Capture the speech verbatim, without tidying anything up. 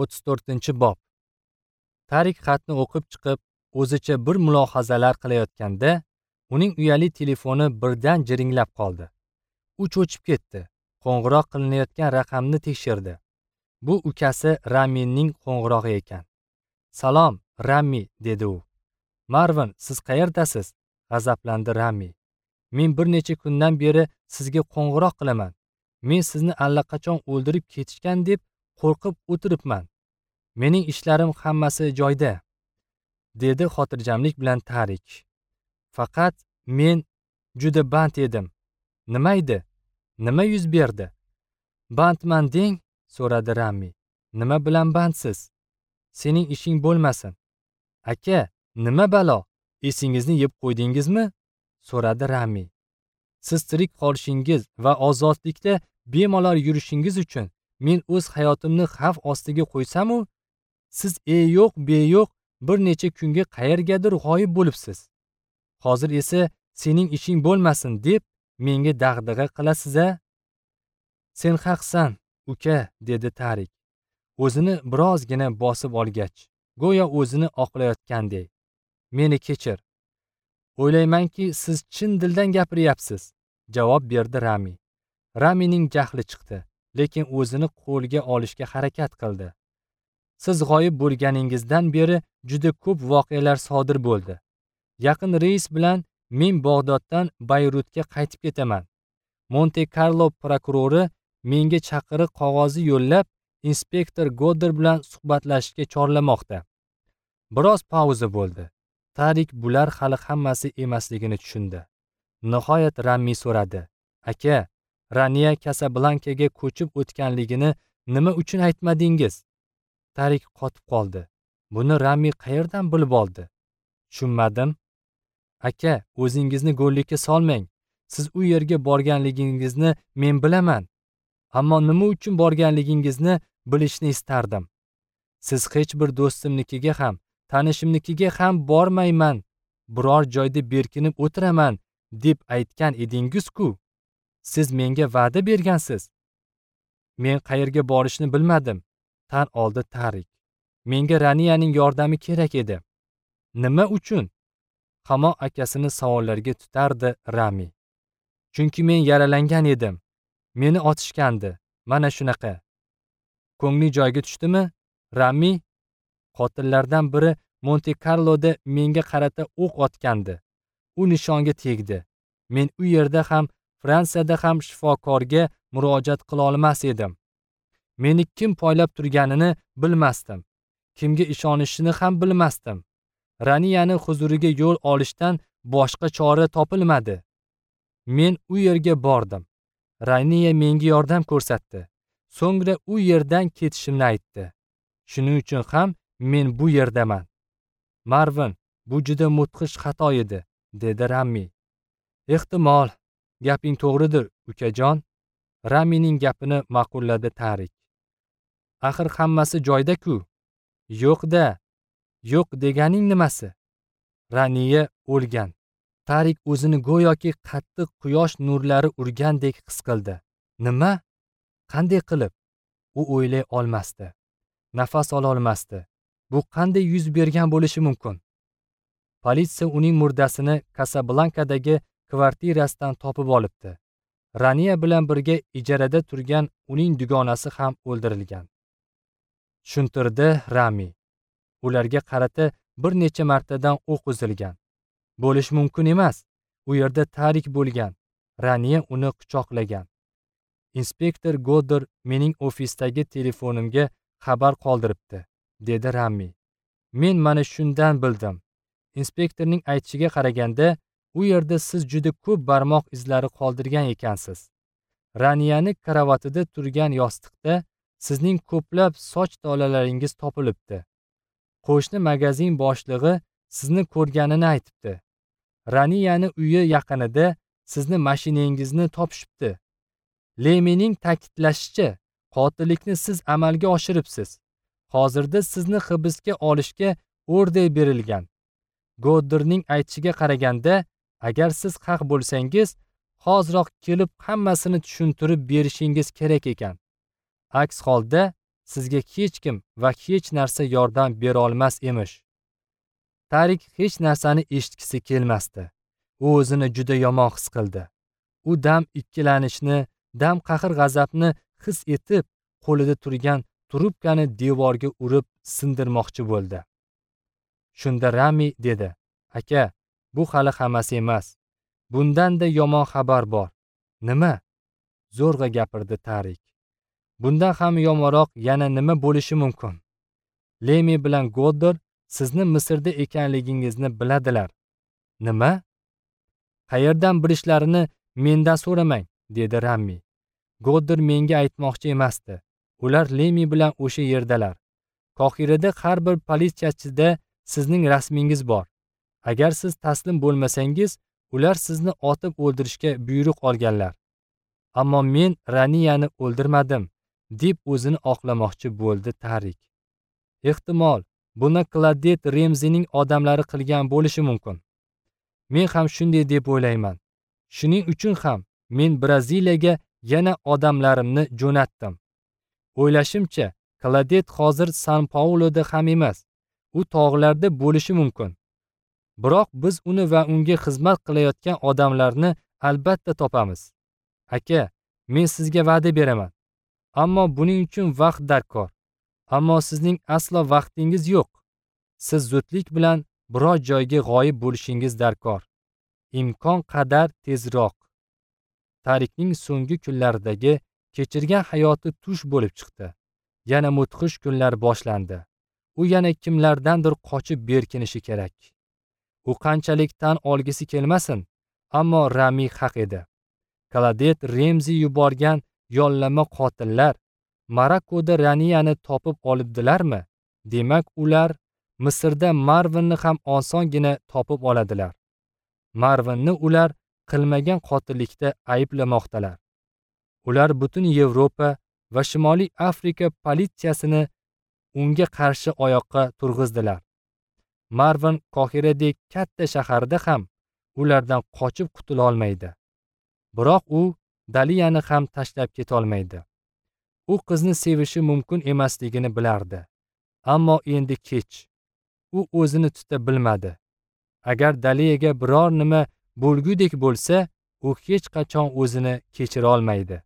o'ttiz to'rtinchi bob. Tarik xatni o'qib chiqib, o'zicha bir mulohazalar qilayotganda, uning uyali telefoni birdan jiringlab qoldi. U cho'chib ketdi. Qo'ng'iroq qilinayotgan raqamni tekshirdi. Bu ukasi Raminning qo'ng'irog'i ekan. "Salom, Rami", dedi u. "Marvin, siz qayerdasiz?" g'azablandi Rami. "Men bir necha kundan beri sizga qo'ng'iroq qilaman. Men sizni allaqachon o'ldirib ketishgan deb qo'rqib o'tiribman. Mening ishlarim hammasi joyda", dedi xotirjamlik bilan Tarik. "Faqat men juda band edim." "Nima edi? Nima yuz berdi?" "Bandman deng?" so'radi Rami. "Nima bilan bandsiz? Sening ishing bo'lmasin." "Aka, nima balo? Esingizni yeb qo'ydingizmi?" so'radi Rami. "Siz tirik qolishingiz va ozodlikda bemalol yurishingiz uchun men o'z hayotimni xavf ostiga qo'ysam-u, siz e yo'q, be yo'q bir necha kunga qayergadir g'oyib bo'libsiz. Hozir esa sening ishing bo'lmasin deb menga dag'dag'a qilasiz-a?" "Sen haqsan, uka", dedi Tarik. O'zini birozgina bosib olgach, go'yo o'zini oqlayotgandek. "Meni kechir. O'ylaymanki, siz chin dildan gapiryapsiz", javob berdi Rami. Ramining jahli chiqdi, lekin o'zini qo'lga olishga harakat qildi. "Siz g'oyib bo'lganingizdan beri juda ko'p voqealar sodir bo'ldi. Yaqin reys bilan men Bag'doddan Bayrutga qaytib ketaman. Monte Carlo prokurori menga chaqiriq qog'ozi yo'llab, inspektor Godder bilan suhbatlashishga chorlamoqda." Biroz pauza bo'ldi. Tarik bular hali hammasi emasligini tushundi. Nihoyat Rami so'radi: "Aka, Raniya Kasablankaga ko'chib o'tganligini nima uchun aytmadingiz?" Tarik qotib qoldi. Buni Rami qayerdan bilib oldi? "Tushunmadim." "Aka, o'zingizni go'llikka solmang. Siz u yerga borganligingizni men bilaman. Ammo nima uchun borganligingizni bilishni istardim. Siz hech bir do'stimnikiga ham, tanishimnikiga ham bormayman, biror joyda berkinib o'tiraman deb aytgan edingiz-ku. Siz menga va'da bergansiz." "Men qayerga borishni bilmadim", tan oldi Tarik. "Menga Raniyaning yordami kerak edi." "Nima uchun?" Hamon akasini savollarga tutardi Rami. "Chunki men yaralangan edim. Meni otishgandi. Mana shunaqa." "Ko'ngli joyga tushdimi, Rami? Qotillardan biri Monte Carloda menga qarata o'q otgandi. U nishonga tegdi. Men u yerda ham, Fransiyada ham shifokorga murojaat qila olmas edim. Meni kim poylab turganini bilmasdim. Kimga ishonishini ham bilmasdim. Raniyani huzuriga yo'l olishdan boshqa chora topilmadi. Men u yerga bordim. Raniya menga yordam ko'rsatdi. So'ngra u yerdan ketishimni aytdi. Shuning uchun ham men bu yerdaman." "Marvin, bu juda mudhish xato edi", dedi Rami. "Ehtimol, gaping to'g'ridir, ukajon." Ramining gapini ma'qulladi Tarik. "Axir hammasi joyda-ku." "Yo'q-da. Yo'q deganing nimasi?" Raniya o'lgan. Tarik o'zini go'yoki qattiq quyosh nurlari urgandek his qildi. Nima? Qanday qilib? U o'ylay olmasdi. Nafas ola olmasdi. Bu qanday yuz bergan bo'lishi mumkin? Politsiya uning murdasini Kasablankadagi kvartirasidan topib olibdi. Raniya bilan birga ijarada turgan uning dugonasi ham o'ldirilgan. Tushuntirdi Rami. Ularga qarata bir necha martadan o'q uzilgan. Bo'lish mumkin emas. U yerda Tarik bo'lgan. Raniya uni quchoqlagan. "Inspektor Godder mening ofisdagi telefonimga xabar qoldiribdi", dedi Rami. "Men mana shundan bildim. Inspektorning aytishiga qaraganda, u yerda siz juda ko'p barmoq izlari qoldirgan ekansiz. Raniyani karavotida turgan yostiqda sizning ko'plab soch tolalaringiz topilibdi. Qo'shni magazin boshlig'i sizni ko'rganini aytibdi. Raniyani uyi yaqinida sizni mashinangizni topishibdi. Lemining ta'kidlashicha, qotillikni siz amalga oshiribsiz. Hozirda sizni hibsga olishga order berilgan. Godderning aytishiga qaraganda, agar siz haq bo'lsangiz, hoziroq kelib hammasini tushuntirib berishingiz kerak ekan. Aks holda sizga hech kim va hech narsa yordam bera olmas emish. Tarik hech narsani eshitgisi kelmasdi. U o'zini juda yomon his qildi. U dam ikkilanishni, dam qahr-g'azabni his etib, qo'lida turgan trubkani devorga urib sindirmoqchi bo'ldi. Shunda Rami dedi: "Aka, bu hali hammasi emas. Bundan-da yomon xabar bor." "Nima?" zo'rg'a gapirdi Tarik. "Bundan ham yomonroq yana nima bo'lishi mumkin? Lemi bilan Goddar sizni Misrda ekanligingizni biladilar." "Nima? Qayerdan bilishlarini mendan so'ramang," dedi Rami. "Goddar menga aytmoqchi emasdi. Ular Lemi bilan o'sha yerdalar. Qohirada har bir politsiyachida sizning rasmingiz bor. Agar siz taslim bo'lmasangiz, ular sizni otib o'ldirishga buyruq olganlar. Ammo men Raniyani o'ldirmadim," deb o'zini oqlamoqchi bo'ldi Tarik. "Ehtimol, buni Kladet Remzining odamlari qilgan bo'lishi mumkin. Men ham shunday deb o'ylayman. Shuning uchun ham men Braziliyaga yana odamlarimni jo'natdim. O'ylashimcha, Kladet hozir San Pauloda ham emas. U tog'larda bo'lishi mumkin. Biroq biz uni va unga xizmat qilayotgan odamlarni albatta topamiz. Aka, men sizga va'da beraman. Ammo buning uchun vaqt darkor. Ammo sizning aslo vaqtingiz yo'q. Siz zudlik bilan biror joyga g'oyib bo'lishingiz darkor. Imkon qadar tezroq." Tarikning so'nggi kunlaridagi kechirgan hayoti tush bo'lib chiqdi. Yana mudhish kunlar boshlandi. U yana kimlardandir qochib berkinishi kerak. U qanchalik tan olgisi kelmasin, ammo Rami haq edi. Kladet Remzi yuborgan yollama qotillar Marokkoda Raniyani topib olibdilarmi? Demak, ular Misrda Marvinni ham osongina topib oladilar. Marvinni ular qilmagan qotillikda ayblamoqdalar. Ular butun Yevropa va Shimoliy Afrika politsiyasini unga qarshi oyoqqa turg'izdilar. Marvin Qohiradek katta shaharda ham ulardan qochib qutula olmaydi. Biroq u Daliyani ham tashlab keta olmaydi. U qizni sevishi mumkin emasligini bilardi. Ammo endi kech. U o'zini tuta bilmadi. Agar Daliyaga biror nima bo'lgudek bo'lsa, u hech qachon o'zini kechira olmaydi.